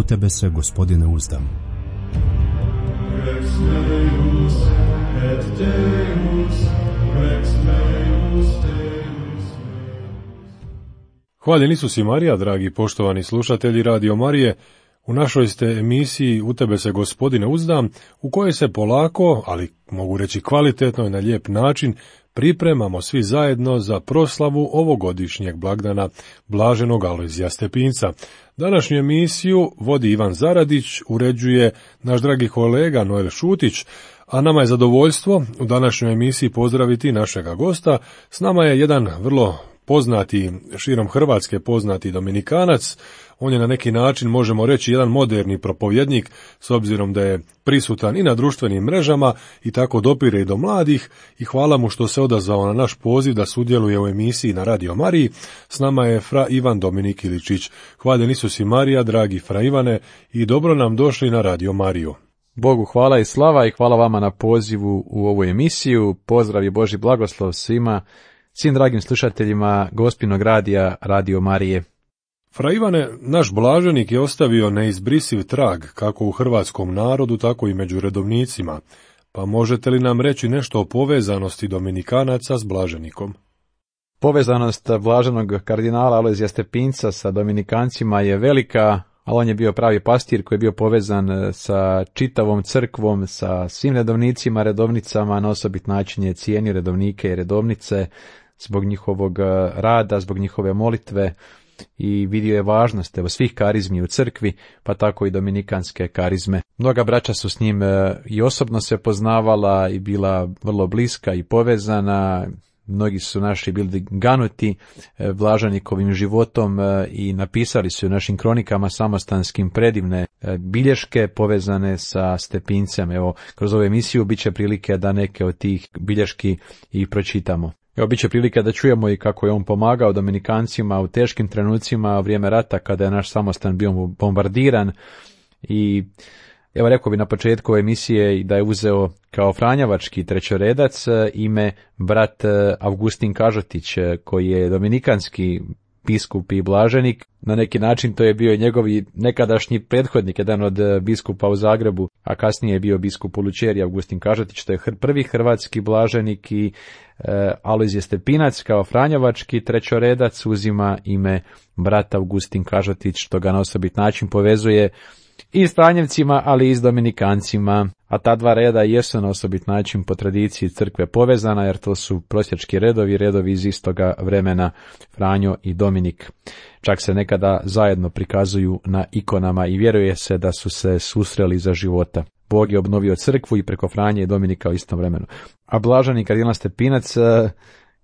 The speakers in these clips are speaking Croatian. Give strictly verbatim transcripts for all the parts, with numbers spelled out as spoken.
tebe se, Gospodine, uzdam. Rex Deus et Deus, Rex Deus, Deus. Hvaljen Isus i Marija, dragi poštovani slušatelji Radio Marije. U našoj ste emisiji U tebe se, Gospodine, uzdam, u kojoj se polako, ali mogu reći kvalitetno i na lijep način, pripremamo svi zajedno za proslavu ovogodišnjeg blagdana Blaženog Alojzija Stepinca. Današnju emisiju vodi Ivan Zaradić, uređuje naš dragi kolega Noel Šutić, a nama je zadovoljstvo u današnjoj emisiji pozdraviti našega gosta. S nama je jedan vrlo poznati, širom Hrvatske poznati Dominikanac. On je na neki način, možemo reći, jedan moderni propovjednik, s obzirom da je prisutan i na društvenim mrežama i tako dopire i do mladih, i hvala mu što se odazvao na naš poziv da sudjeluje u emisiji na Radio Mariji. S nama je fra Ivan Dominik Iličić. Hvaljen Isus i Marija, dragi fra Ivane, i dobro nam došli na Radio Mariju. Bogu hvala i slava i hvala vama na pozivu u ovu emisiju. Pozdrav i Božji blagoslov svima, svim dragim slušateljima Gospinog radija Radio Marije. Fra Ivane, naš blaženik je ostavio neizbrisiv trag kako u hrvatskom narodu, tako i među redovnicima. Pa možete li nam reći nešto o povezanosti Dominikanaca s blaženikom? Povezanost blaženog kardinala Alojzija Stepinca sa Dominikancima je velika, ali on je bio pravi pastir koji je bio povezan sa čitavom crkvom, sa svim redovnicima, redovnicama, na osobit način je cijenio redovnike i redovnice zbog njihovog rada, zbog njihove molitve, i vidio je važnost evo, svih karizmi u crkvi, pa tako i dominikanske karizme. Mnoga braća su s njim e, i osobno se poznavala i bila vrlo bliska i povezana. Mnogi su naši bili ganuti e, blaženikovim životom e, i napisali su u našim kronikama samostanskim predivne e, bilješke povezane sa Stepincem. Evo, kroz ovu emisiju bit će prilike da neke od tih bilješki i pročitamo. Evo, bit će prilika da čujemo i kako je on pomagao Dominikancima u teškim trenucima u vrijeme rata kada je naš samostan bio bombardiran. I evo, rekao bi na početku emisije da je uzeo kao franjevački trećoredac ime brat Avgustin Kažotić, koji je dominikanski biskup i blaženik. Na neki način to je bio njegov nekadašnji prethodnik, jedan od biskupa u Zagrebu, a kasnije je bio biskup u Lučeriji, Avgustin Kažotić. To je prvi hrvatski blaženik i e, Alojzije Stepinac kao franjevački trećoredac uzima ime brat Avgustin Kažotić, što ga na osobit način povezuje i s Franjevcima, ali i s Dominikancima, a ta dva reda jesu na osobit način po tradiciji crkve povezana, jer to su prosjački redovi, redovi iz istoga vremena, Franjo i Dominik. Čak se nekada zajedno prikazuju na ikonama i vjeruje se da su se susreli za života. Bog je obnovio crkvu i preko Franje i Dominika u istom vremenu. A blaženi kardinal Stepinac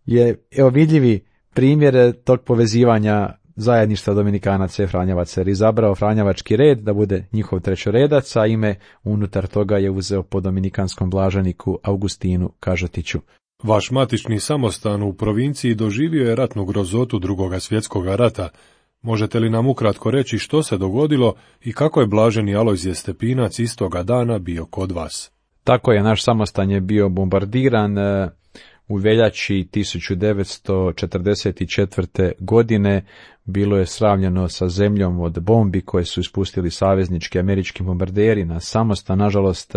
je evo vidljivi primjer tog povezivanja zajedništva Dominikanaca i Franjevaca, jer izabrao franjevački red da bude njihov trećoredac, a ime unutar toga je uzeo po dominikanskom blaženiku Augustinu Kažotiću. Vaš matični samostan u provinciji doživio je ratnu grozotu Drugoga svjetskog rata. Možete li nam ukratko reći što se dogodilo i kako je blaženi Alojzije Stepinac istoga dana bio kod vas? Tako je, naš samostan je bio bombardiran u veljači tisuću devetsto četrdeset četvrte. godine. Bilo je sravnjeno sa zemljom od bombi koje su ispustili saveznički američki bombarderi na samostan. Nažalost,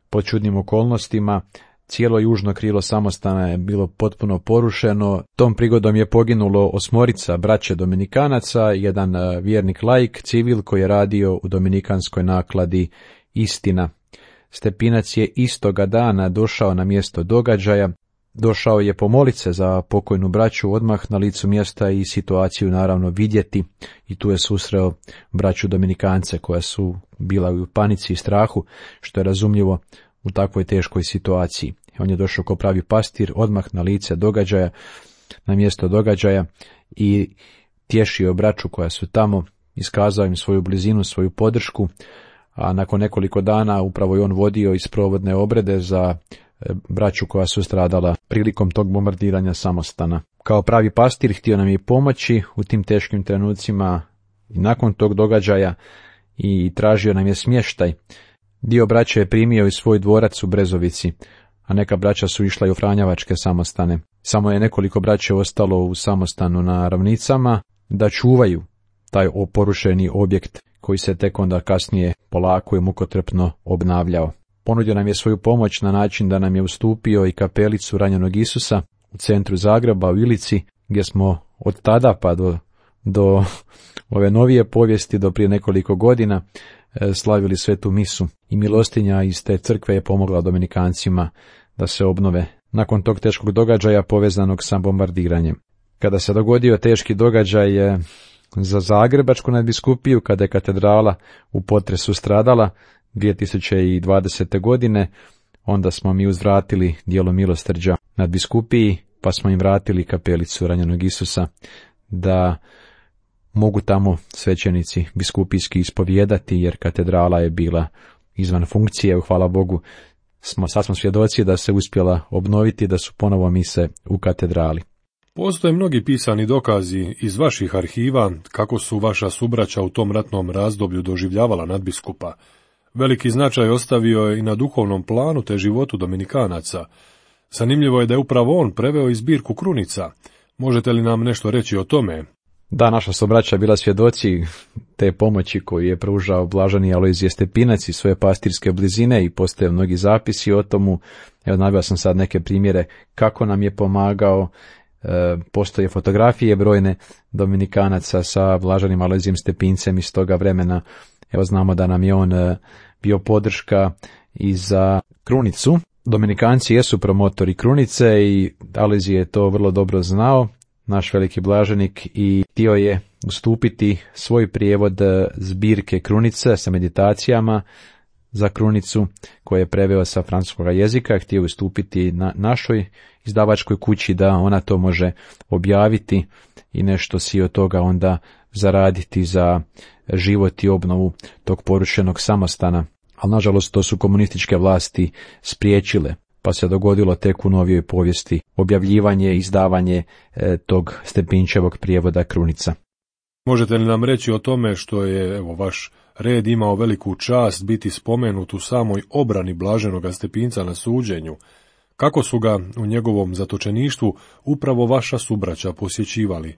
pod čudnim okolnostima, cijelo južno krilo samostana je bilo potpuno porušeno. Tom prigodom je poginulo osmorica braće Dominikanaca, jedan vjernik laik, civil koji je radio u dominikanskoj nakladi Istina. Stepinac je istoga dana došao na mjesto događaja. Došao je pomolit se za pokojnu braću odmah na licu mjesta i situaciju naravno vidjeti, i tu je susreo braću Dominikance koja su bila u panici i strahu, što je razumljivo u takvoj teškoj situaciji. On je došao kao pravi pastir odmah na lice događaja, na mjesto događaja, i tješio braću koja su tamo, iskazao im svoju blizinu, svoju podršku, a nakon nekoliko dana upravo je on vodio isprovodne obrede za braću koja su stradala prilikom tog bombardiranja samostana. Kao pravi pastir htio nam je pomoći u tim teškim trenucima i nakon tog događaja i tražio nam je smještaj. Dio braća je primio i svoj dvorac u Brezovici, a neka braća su išla i u franjevačke samostane. Samo je nekoliko braća ostalo u samostanu na Ravnicama da čuvaju taj oporušeni objekt. koji se tek onda kasnije polako i mukotrpno obnavljao. Ponudio nam je svoju pomoć na način da nam je ustupio i kapelicu ranjenog Isusa u centru Zagreba, u Ilici, gdje smo od tada pa do, do ove novije povijesti, do prije nekoliko godina, slavili svetu misu. I milostinja iz te crkve je pomogla Dominikancima da se obnove nakon tog teškog događaja povezanog sa bombardiranjem. Kada se dogodio teški događaj za Zagrebačku nadbiskupiju, kada je katedrala u potresu stradala dvije tisuće dvadesete. godine, onda smo mi uzvratili djelo milosrđa nadbiskupiji, pa smo im vratili kapelicu ranjenog Isusa, da mogu tamo svećenici biskupijski ispovijedati, jer katedrala je bila izvan funkcije. Hvala Bogu, smo, sad smo svjedoci da se uspjela obnoviti, da su ponovo mise u katedrali. Postoje mnogi pisani dokazi iz vaših arhiva kako su vaša subraća u tom ratnom razdoblju doživljavala nadbiskupa. Veliki značaj ostavio je i na duhovnom planu te životu Dominikanaca. Zanimljivo je da je upravo on preveo i zbirku krunica. Možete li nam nešto reći o tome? Da, naša subraća bila svjedoci te pomoći koju je pružao blaženi Alojzije Stepinac iz svoje pastirske blizine i postoje mnogi zapisi o tomu. Evo, naveo sam sad neke primjere kako nam je pomagao. E, postoje fotografije brojne Dominikanaca sa blaženim Alojzijem Stepincem iz toga vremena. Evo, znamo da nam je on e, bio podrška i za krunicu. Dominikanci jesu promotori krunice i Alojzije je to vrlo dobro znao, naš veliki blaženik, i htio je ustupiti svoj prijevod zbirke krunice sa meditacijama za krunicu, koje je preveo sa francuskog jezika, htio ustupiti na našoj izdavačkoj kući da ona to može objaviti i nešto si od toga onda zaraditi za život i obnovu tog porušenog samostana. Ali nažalost to su komunističke vlasti spriječile, pa se dogodilo tek u novijoj povijesti objavljivanje, izdavanje e, tog Stepinčevog prijevoda krunica. Možete li nam reći o tome što je, evo, vaš red imao veliku čast biti spomenut u samoj obrani blaženoga Stepinca na suđenju? Kako su ga u njegovom zatočeništvu upravo vaša subraća posjećivali?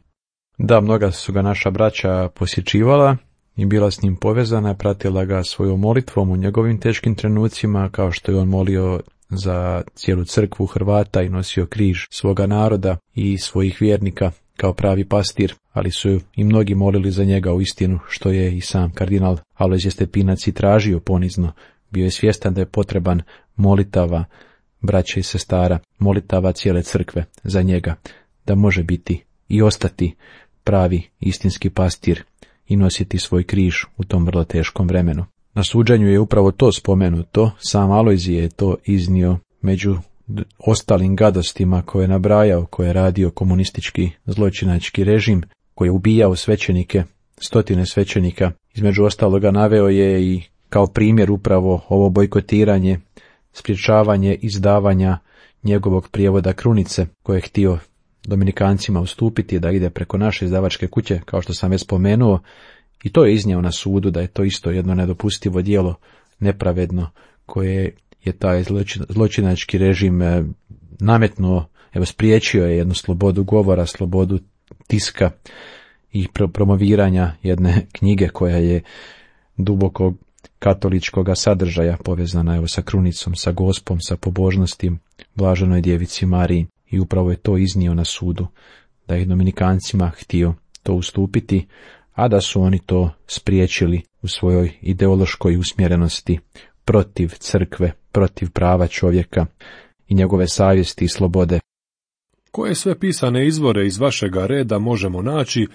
Da, mnoga su ga naša braća posjećivala i bila s njim povezana, pratila ga svojom molitvom u njegovim teškim trenucima, kao što je on molio za cijelu crkvu Hrvata i nosio križ svoga naroda i svojih vjernika kao pravi pastir, ali su i mnogi molili za njega u istinu, što je i sam kardinal Alojzije Stepinac i tražio ponizno. Bio je svjestan da je potreban molitava braće i sestara, molitava cijele crkve za njega, da može biti i ostati pravi istinski pastir i nositi svoj križ u tom vrlo teškom vremenu. Na suđenju je upravo to spomenuto, sam Alojzije je to iznio među ostalim gadostima koje je nabrajao, koje je radio komunistički zločinački režim, koji je ubijao svećenike, stotine svećenika. Između ostaloga naveo je i kao primjer upravo ovo bojkotiranje, sprječavanje izdavanja njegovog prijevoda krunice, koje je htio Dominikancima ustupiti da ide preko naše izdavačke kuće, kao što sam već spomenuo, i to je iznio na sudu da je to isto jedno nedopustivo djelo, nepravedno, koje je taj zločinački režim nametnuo, evo spriječio je jednu slobodu govora, slobodu tiska i promoviranja jedne knjige koja je duboko katoličkog sadržaja, povezana evo sa krunicom, sa gospom, sa pobožnosti blaženoj djevici Mariji, i upravo je to iznio na sudu, da je Dominikancima htio to ustupiti, a da su oni to spriječili u svojoj ideološkoj usmjerenosti protiv crkve, protiv prava čovjeka i njegove savjesti i slobode. Koje sve pisane izvore iz vašega reda možemo naći,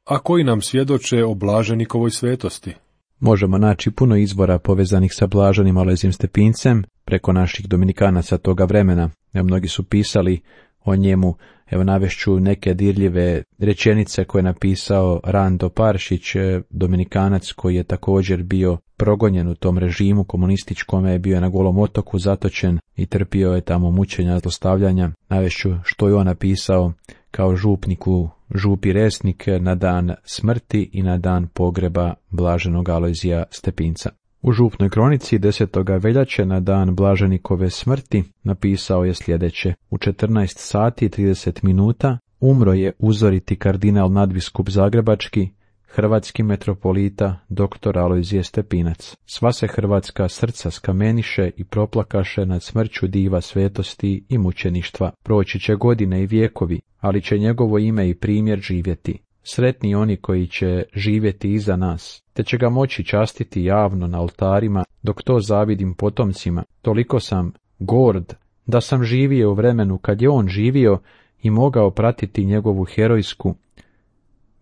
a koji nam svjedoče o blaženikovoj svetosti? Možemo naći puno izvora povezanih sa blaženim Alojzijem Stepincem preko naših Dominikanaca toga vremena. Evo, mnogi su pisali o njemu. Evo, navešću neke dirljive rečenice koje je napisao Rando Paršić, Dominikanac koji je također bio progonjen u tom režimu komunističkome, je bio na Golom otoku zatočen i trpio je tamo mučenja, zlostavljanja. Navešću što je on napisao kao župniku župi Resnik na dan smrti i na dan pogreba blaženog Alojzija Stepinca. U župnoj kronici desetog veljače na dan blaženikove smrti napisao je sljedeće: u četrnaest sati i trideset minuta umro je uzoriti kardinal nadbiskup Zagrebački, hrvatski metropolita doktor Alojzije Stepinac. Sva se hrvatska srca skameniše i proplakaše nad smrću diva svetosti i mučeništva. Proći će godine i vijekovi, ali će njegovo ime i primjer živjeti. Sretni oni koji će živjeti iza nas, te će ga moći častiti javno na oltarima, dok to zavidim potomcima. Toliko sam gord da sam živio u vremenu kad je on živio i mogao pratiti njegovu herojsku,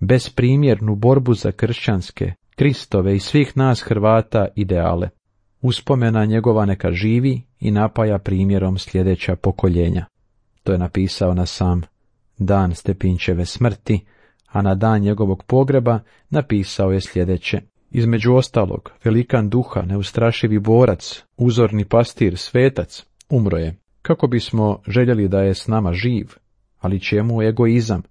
besprimjernu borbu za kršćanske, Kristove i svih nas Hrvata ideale. Uspomena njegova neka živi i napaja primjerom sljedeća pokoljenja. To je napisao na sam dan Stepinčeve smrti, a na dan njegovog pogreba napisao je sljedeće. Između ostalog, velikan duha, neustrašivi borac, uzorni pastir, svetac, umro je. Kako bismo željeli da je s nama živ, ali čemu egoizam?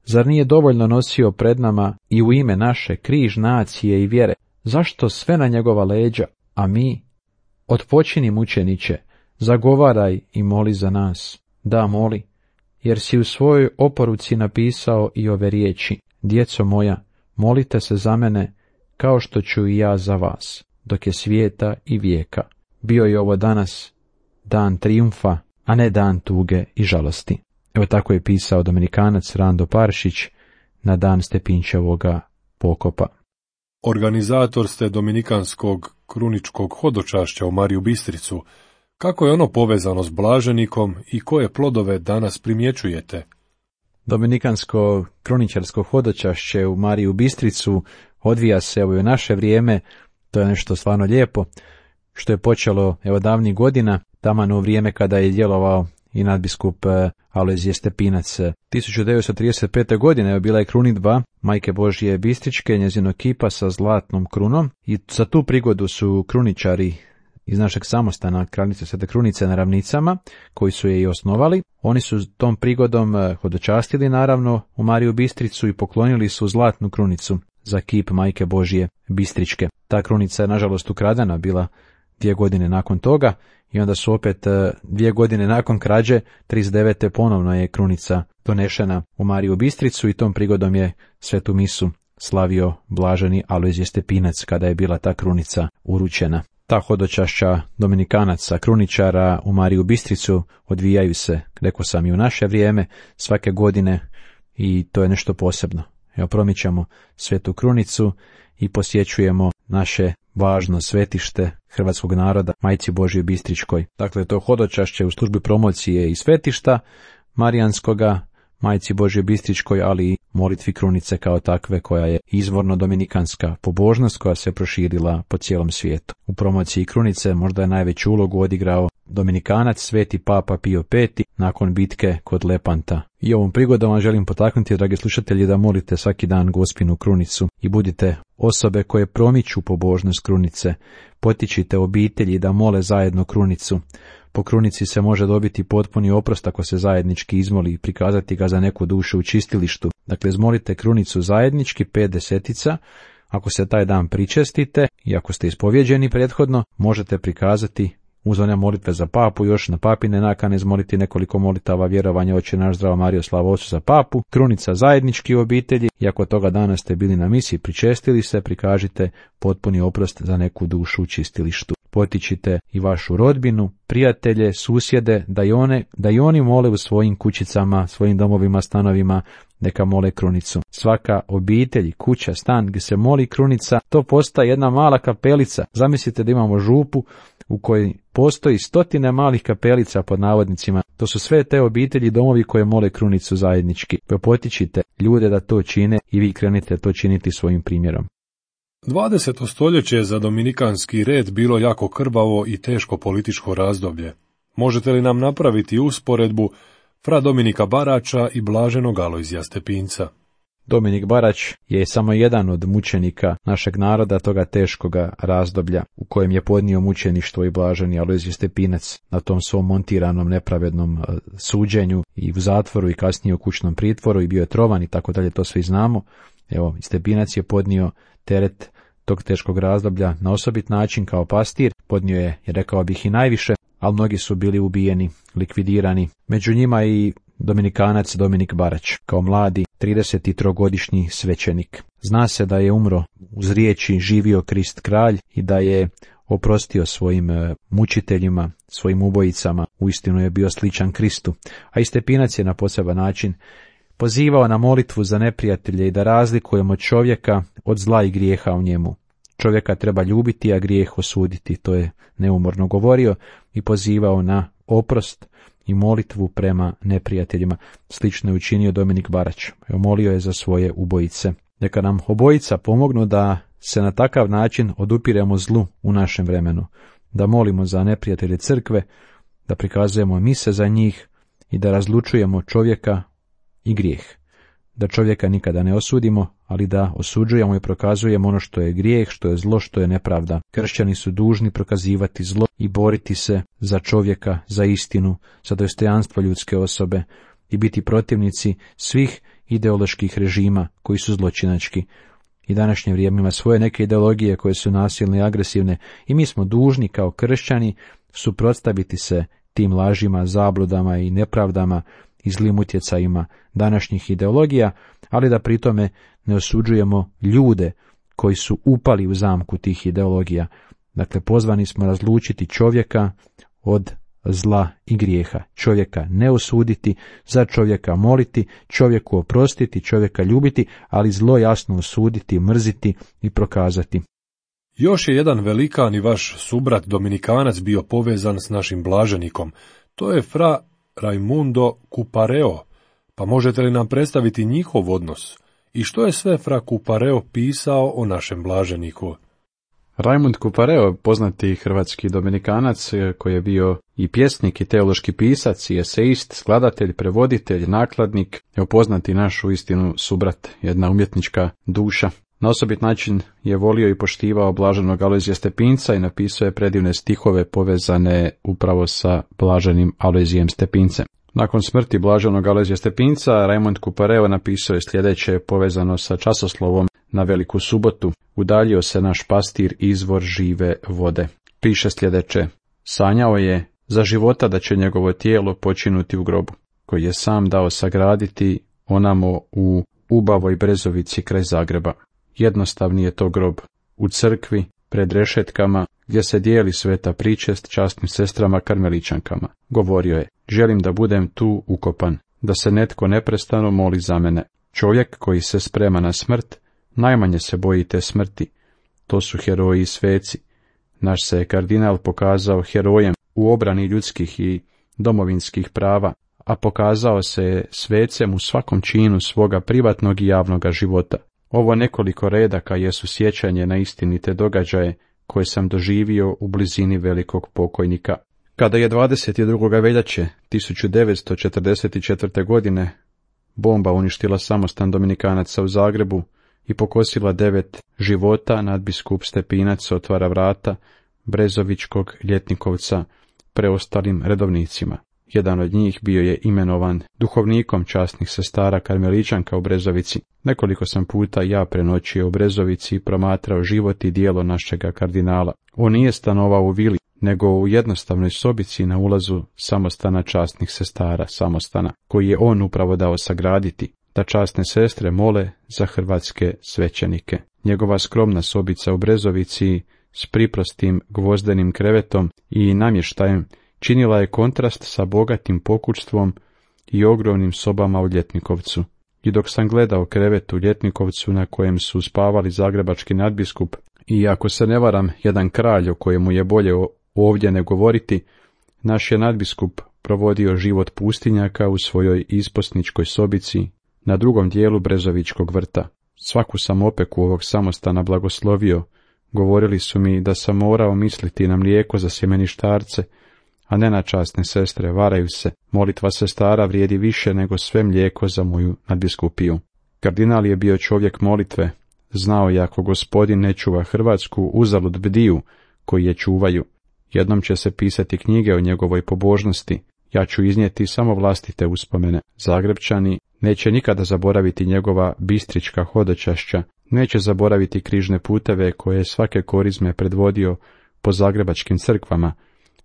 Zar nije dovoljno nosio pred nama i u ime naše križ nacije i vjere? Zašto sve na njegova leđa, a mi? Otpočini, mučeniče, zagovaraj i moli za nas. Da, moli, jer si u svojoj oporuci napisao i ove riječi. Djeco moja, molite se za mene, kao što ću i ja za vas, dok je svijeta i vijeka. Bio je ovo danas dan trijumfa, a ne dan tuge i žalosti. Evo tako je pisao dominikanac Rando Paršić na dan Stepinčevoga pokopa. Organizator ste dominikanskog kruničkog hodočašća u Mariju Bistricu. Kako je ono povezano s blaženikom i koje plodove danas primjećujete? Dominikansko kruničarsko hodočašće u Mariju Bistricu odvija se evo i u naše vrijeme. To je nešto stvarno lijepo, što je počelo evo davnih godina, taman u vrijeme kada je djelovao i nadbiskup Alojzije Stepinac. tisuću devetsto trideset pete. godine je bila je krunidba Majke Božje Bistričke, njezinog kipa sa zlatnom krunom, i za tu prigodu su kruničari iz našeg samostana Kraljice Svete Krunice na Ravnicama, koji su je i osnovali. Oni su tom prigodom hodočastili naravno u Mariju Bistricu i poklonili su zlatnu krunicu za kip Majke Božje Bistričke. Ta krunica je nažalost ukradena bila dvije godine nakon toga i onda su opet dvije godine nakon krađe, trideset devete. ponovno je krunica donešena u Mariju Bistricu i tom prigodom je svetu misu slavio blaženi Alojzije Stepinac kada je bila ta krunica uručena. Ta hodočašća dominikanaca, kruničara u Mariju Bistricu odvijaju se, rekao sam, i u naše vrijeme svake godine i to je nešto posebno. Evo, promičamo svetu krunicu i posjećujemo naše važno svetište hrvatskog naroda, Majci Božjoj Bistričkoj. Dakle, to hodočašće u službi promocije i svetišta marijanskoga, Majci Božjoj Bistričkoj, ali i molitvi krunice kao takve, koja je izvorno dominikanska pobožnost koja se proširila po cijelom svijetu. U promociji krunice možda je najveću ulogu odigrao dominikanac sveti papa Pio peti nakon bitke kod Lepanta. I ovom prigodom vam želim potaknuti, dragi slušatelji, da molite svaki dan Gospinu krunicu i budite osobe koje promiču pobožnost krunice. Potičite obitelji da mole zajedno krunicu. Po krunici se može dobiti potpuni oprost ako se zajednički izmoli i prikazati ga za neku dušu u čistilištu. Dakle, izmolite krunicu zajednički, pet desetica. Ako se taj dan pričestite i ako ste ispovjeđeni prethodno, možete prikazati uz one molitve za papu, još na papine nakane izmoliti nekoliko molitava vjerovanja Oče naš, Zdravo Marijo, slava Otcu za papu, krunica zajednički u obitelji i ako toga dana ste bili na misi, pričestili se, prikažite potpuni oprost za neku dušu u čistilištu. Potičite i vašu rodbinu, prijatelje, susjede, da i, one, da i oni mole u svojim kućicama, svojim domovima, stanovima, neka mole krunicu. Svaka obitelj, kuća, stan gdje se moli krunica, to postaje jedna mala kapelica. Zamislite da imamo župu u kojoj postoji stotine malih kapelica pod navodnicima. To su sve te obitelji, domovi koje mole krunicu zajednički. Potičite ljude da to čine i vi krenite to činiti svojim primjerom. dvadeseto stoljeće je za dominikanski red bilo jako krvavo i teško političko razdoblje. Možete li nam napraviti usporedbu fra Dominika Barača i blaženog Alojzija Stepinca? Dominik Barač je samo jedan od mučenika našeg naroda toga teškoga razdoblja u kojem je podnio mučeništvo i blaženi Alojzije Stepinac na tom svom montiranom nepravednom suđenju i u zatvoru i kasnije u kućnom pritvoru i bio je trovan i tako dalje, to svi znamo. Evo, Stepinac je podnio teret tog teškog razdoblja na osobit način kao pastir, podnio je, rekao bih, i najviše, ali mnogi su bili ubijeni, likvidirani. Među njima i dominikanac Dominik Barač. Kao mladi tridesettrogodišnji svećenik. Zna se da je umro uz riječi živio Krist kralj i da je oprostio svojim mučiteljima, svojim ubojicama, uistinu je bio sličan Kristu, a i Stepinac je na poseban način pozivao na molitvu za neprijatelje i da razlikujemo čovjeka od zla i grijeha u njemu. Čovjeka treba ljubiti, a grijeh osuditi, to je neumorno govorio i pozivao na oprost i molitvu prema neprijateljima. Slično je učinio Dominik Barać. Molio je za svoje ubojice. Neka nam obojica pomognu da se na takav način odupiremo zlu u našem vremenu, da molimo za neprijatelje crkve, da prikazujemo mise za njih i da razlučujemo čovjeka i grijeh. Da čovjeka nikada ne osudimo, ali da osuđujemo i prokazujemo ono što je grijeh, što je zlo, što je nepravda. Kršćani su dužni prokazivati zlo i boriti se za čovjeka, za istinu, za dostojanstvo ljudske osobe i biti protivnici svih ideoloških režima koji su zločinački. I današnje vrijeme ima svoje neke ideologije koje su nasilne i agresivne i mi smo dužni kao kršćani suprotstaviti se tim lažima, zabludama i nepravdama i zlim utjecajima današnjih ideologija, ali da pritome ne osuđujemo ljude koji su upali u zamku tih ideologija. Dakle, pozvani smo razlučiti čovjeka od zla i grijeha. Čovjeka ne osuditi, za čovjeka moliti, čovjeku oprostiti, čovjeka ljubiti, ali zlo jasno osuditi, mrziti i prokazati. Još je jedan velikan i vaš subrat Dominikanac bio povezan s našim blaženikom. To je fra Raimundo Cupareo. Pa možete li nam predstaviti njihov odnos? I što je sve fra Cupareo pisao o našem blaženiku? Raimund Cupareo, poznati hrvatski Dominikanac, koji je bio i pjesnik i teološki pisac i esejist, skladatelj, prevoditelj, nakladnik, je poznati naš uistinu subrat, jedna umjetnička duša. Na osobit način je volio i poštivao blaženog Alojzija Stepinca i napisao je predivne stihove povezane upravo sa blaženim Alojzijem Stepincem. Nakon smrti blaženog Alojzija Stepinca, Raimund Cupareo napisao je sljedeće povezano sa časoslovom na Veliku subotu. Udaljio se naš pastir, izvor žive vode. Piše sljedeće: sanjao je za života da će njegovo tijelo počinuti u grobu, koji je sam dao sagraditi onamo u Ubavoj Brezovici kraj Zagreba. Jednostavni je to grob, u crkvi, pred rešetkama, gdje se dijeli sveta pričest časnim sestrama karmeličankama. Govorio je: želim da budem tu ukopan, da se netko neprestano moli za mene. Čovjek koji se sprema na smrt, najmanje se boji te smrti. To su heroji i sveci. Naš se je kardinal pokazao herojem u obrani ljudskih i domovinskih prava, a pokazao se je svecem u svakom činu svoga privatnog i javnoga života. Ovo nekoliko redaka jesu sjećanje na istinite događaje koje sam doživio u blizini velikog pokojnika. Kada je dvadeset drugoga veljače tisuću devetsto četrdeset četvrte. godine bomba uništila samostan Dominikanaca u Zagrebu i pokosila devet života, nadbiskup Stepinac otvara vrata Brezovičkog Ljetnikovca preostalim redovnicima. Jedan od njih bio je imenovan duhovnikom časnih sestara karmeličanka u Brezovici. Nekoliko sam puta ja prenoćio u Brezovici i promatrao život i djelo našega kardinala. On nije stanovao u vili, nego u jednostavnoj sobici na ulazu samostana časnih sestara, samostana, koji je on upravo dao sagraditi, da časne sestre mole za hrvatske svećenike. Njegova skromna sobica u Brezovici s priprostim gvozdenim krevetom i namještajem činila je kontrast sa bogatim pokućstvom i ogromnim sobama u Ljetnikovcu. I dok sam gledao krevet u Ljetnikovcu na kojem su spavali zagrebački nadbiskup i, ako se ne varam, jedan kralj o kojemu je bolje ovdje ne govoriti, naš je nadbiskup provodio život pustinjaka u svojoj isposničkoj sobici na drugom dijelu Brezovičkog vrta. Svaku sam opeku ovog samostana blagoslovio. Govorili su mi da sam morao misliti na mlijeko za sjemeništarce, a ne na časne sestre, varaju se. Molitva sestara vrijedi više nego sve mlijeko za moju nadbiskupiju. Kardinal je bio čovjek molitve. Znao je, ako Gospodin ne čuva Hrvatsku, uzalud bdiju koji je čuvaju. Jednom će se pisati knjige o njegovoj pobožnosti. Ja ću iznijeti samo vlastite uspomene. Zagrebčani neće nikada zaboraviti njegova bistrička hodočašća, neće zaboraviti križne puteve koje je svake korizme predvodio po zagrebačkim crkvama.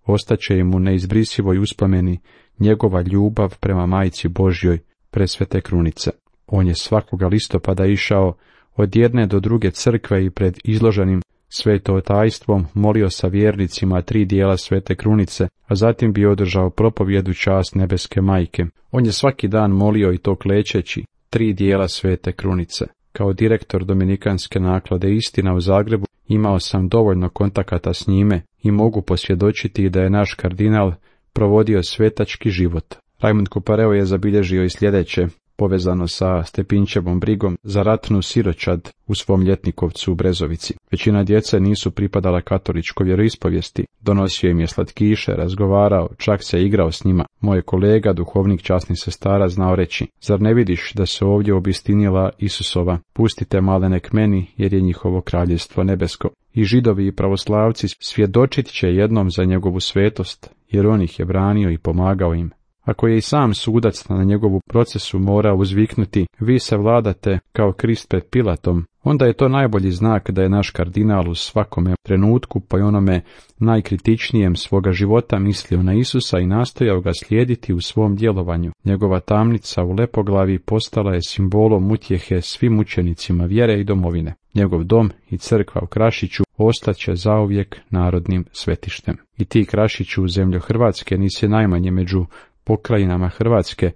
Ostaće im u neizbrisivoj uspomeni njegova ljubav prema Majci Božjoj, presvete krunice. On je svakoga listopada išao od jedne do druge crkve i pred izloženim svetotajstvom molio sa vjernicima tri dijela svete krunice, a zatim bi održao propovjed u čast nebeske majke. On je svaki dan molio i to klečeći tri dijela svete krunice. Kao direktor dominikanske naklade Istina u Zagrebu imao sam dovoljno kontakata s njime i mogu posvjedočiti da je naš kardinal provodio svetački život. Rajmund Kupareo je zabilježio i sljedeće, povezano sa Stepinčevom brigom za ratnu siročad u svom ljetnikovcu u Brezovici. Većina djece nisu pripadala katoličkoj vjeroispovijesti, donosio im je slatkiše, razgovarao, čak se igrao s njima. Moj kolega, duhovnik časnih sestara, znao reći: zar ne vidiš da se ovdje obistinila Isusova? Pustite malene k meni, jer je njihovo kraljevstvo nebesko. I židovi i pravoslavci svjedočit će jednom za njegovu svetost, jer on ih je branio i pomagao im. Ako je i sam sudac na njegovu procesu morao uzviknuti: vi se vladate kao Krist pred Pilatom, onda je to najbolji znak da je naš kardinal u svakome trenutku, pa i onome najkritičnijem svoga života, mislio na Isusa i nastojao ga slijediti u svom djelovanju. Njegova tamnica u Lepoglavi postala je simbolom utjehe svim učenicima vjere i domovine. Njegov dom i crkva u Krašiću ostaće zauvijek narodnim svetištem. I ti, Krašiću, zemljo Hrvatske, nisi najmanje među pokrajinama Hrvatske,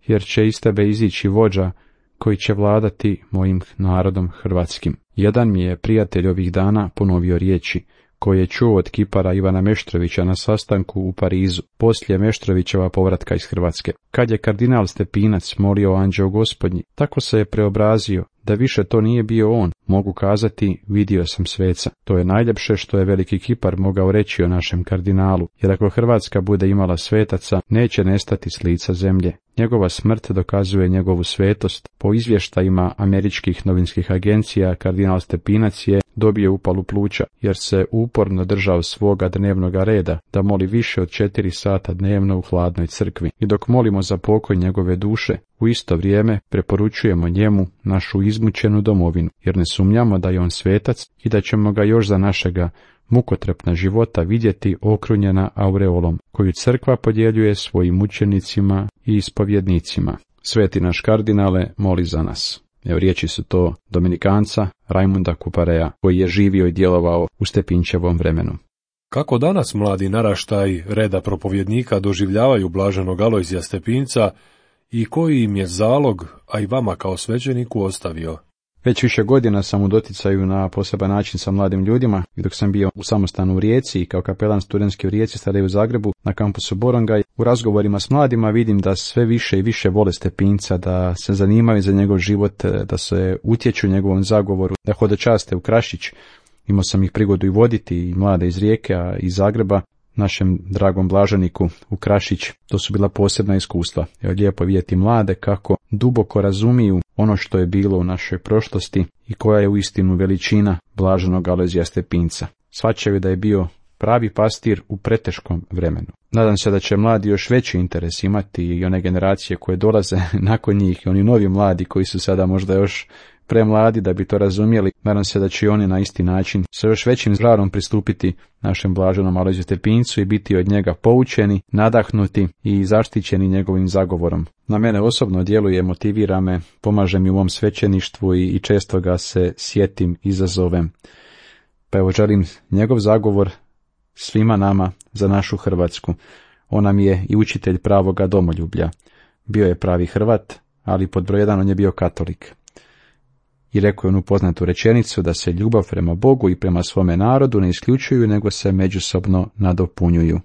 jer će iz tebe izići vođa koji će vladati mojim narodom hrvatskim. Jedan mi je prijatelj ovih dana ponovio riječi koje je čuo od kipara Ivana Meštrovića na sastanku u Parizu, poslije Meštrovićeva povratka iz Hrvatske. Kad je kardinal Stepinac molio anđeo Gospodnji, tako se je preobrazio da više to nije bio on. Mogu kazati: vidio sam sveca. To je najljepše što je veliki kipar mogao reći o našem kardinalu, jer ako Hrvatska bude imala svetaca, neće nestati s lica zemlje. Njegova smrt dokazuje njegovu svetost. Po izvještajima američkih novinskih agencija, kardinal Stepinac je dobio upalu pluća, jer se uporno držao svoga dnevnoga reda, da moli više od četiri sata dnevno u hladnoj crkvi. I dok molimo za pokoj njegove duše, u isto vrijeme preporučujemo njemu našu izmučenu domovinu, jer ne sumnjamo da je on svetac i da ćemo ga još za našega mukotrpna života vidjeti okrunjena aureolom, koju crkva podjeljuje svojim učenicima i ispovjednicima. Sveti naš kardinale, moli za nas. Evo, riječi su to dominikanca Rajmunda Kupareja, koji je živio i djelovao u Stepinčevom vremenu. Kako danas mladi naraštaj reda propovjednika doživljavaju blaženog Alojzija Stepinca i koji im je zalog, a i vama kao svećeniku, ostavio? Već više godina sam u doticaju na poseban način sa mladim ljudima, i dok sam bio u samostanu u Rijeci i kao kapelan studentski u Rijeci, sada i u Zagrebu, na kampusu Borongaj, u razgovorima s mladima vidim da sve više i više vole Stepinca, da se zanimaju za njegov život, da se utječu njegovom zagovoru, da hodočaste u Krašić. Imao sam ih prigodu i voditi, i mlade iz Rijeke, a iz Zagreba, našem dragom blaženiku u Krašić. To su bila posebna iskustva. Evo, lijepo vidjeti mlade kako duboko razumiju ono što je bilo u našoj prošlosti i koja je uistinu veličina blaženog Alojzija Stepinca. Shvaćaju da je bio pravi pastir u preteškom vremenu. Nadam se da će mladi još veći interes imati, i one generacije koje dolaze nakon njih, i oni novi mladi koji su sada možda još premladi da bi to razumjeli. Nadam se da će i oni na isti način sa još većim žarom pristupiti našem blaženom Alojziju Stepincu i biti od njega poučeni, nadahnuti i zaštićeni njegovim zagovorom. Na mene osobno djeluje, motivira me, pomaže mi u mom svećeništvu i, i često ga se sjetim, izazovem. Pa evo, želim njegov zagovor svima nama za našu Hrvatsku. On nam je i učitelj pravoga domoljublja. Bio je pravi Hrvat, ali pod broj jedan on je bio katolik. I rekao je onu poznatu rečenicu da se ljubav prema Bogu i prema svome narodu ne isključuju, nego se međusobno nadopunjuju.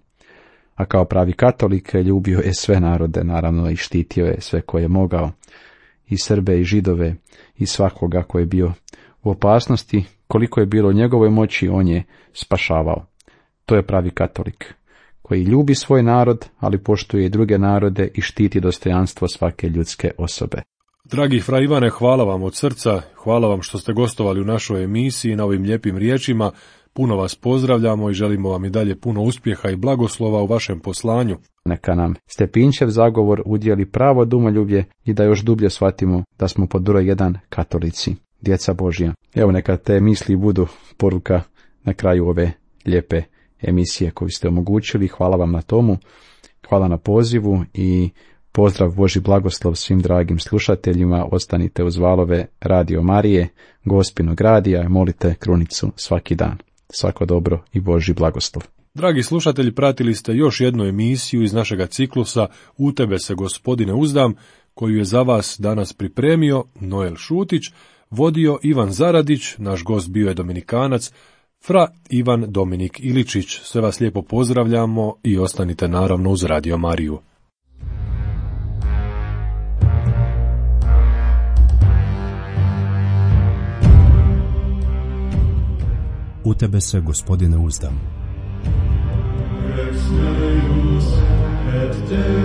A kao pravi katolik ljubio je sve narode, naravno, i štitio je sve koje je mogao, i Srbe i Židove i svakoga koji je bio u opasnosti. Koliko je bilo u njegovoj moći, on je spašavao. To je pravi katolik, koji ljubi svoj narod, ali poštuje i druge narode i štiti dostojanstvo svake ljudske osobe. Dragi fra Ivane, hvala vam od srca, hvala vam što ste gostovali u našoj emisiji na ovim lijepim riječima. Puno vas pozdravljamo i želimo vam i dalje puno uspjeha i blagoslova u vašem poslanju. Neka nam Stepinčev zagovor udjeli pravo domoljublje i da još dublje shvatimo da smo pod broj jedan katolici, djeca Božja. Evo, neka te misli budu poruka na kraju ove lijepe emisije koju ste omogućili. Hvala vam na tomu, hvala na pozivu i Pozdrav, Božji blagoslov svim dragim slušateljima, ostanite uz valove Radio Marije, Gospinog radija i molite krunicu svaki dan. Svako dobro i Božji blagoslov. Dragi slušatelji, pratili ste još jednu emisiju iz našega ciklusa U tebe se Gospodine uzdam, koju je za vas danas pripremio Noel Šutić, vodio Ivan Zaradić, naš gost bio je Dominikanac, fra Ivan Dominik Iličić. Sve vas lijepo pozdravljamo i ostanite naravno uz Radio Mariju. U tebe se, Gospodine, uzdam. Rex Deus et Deus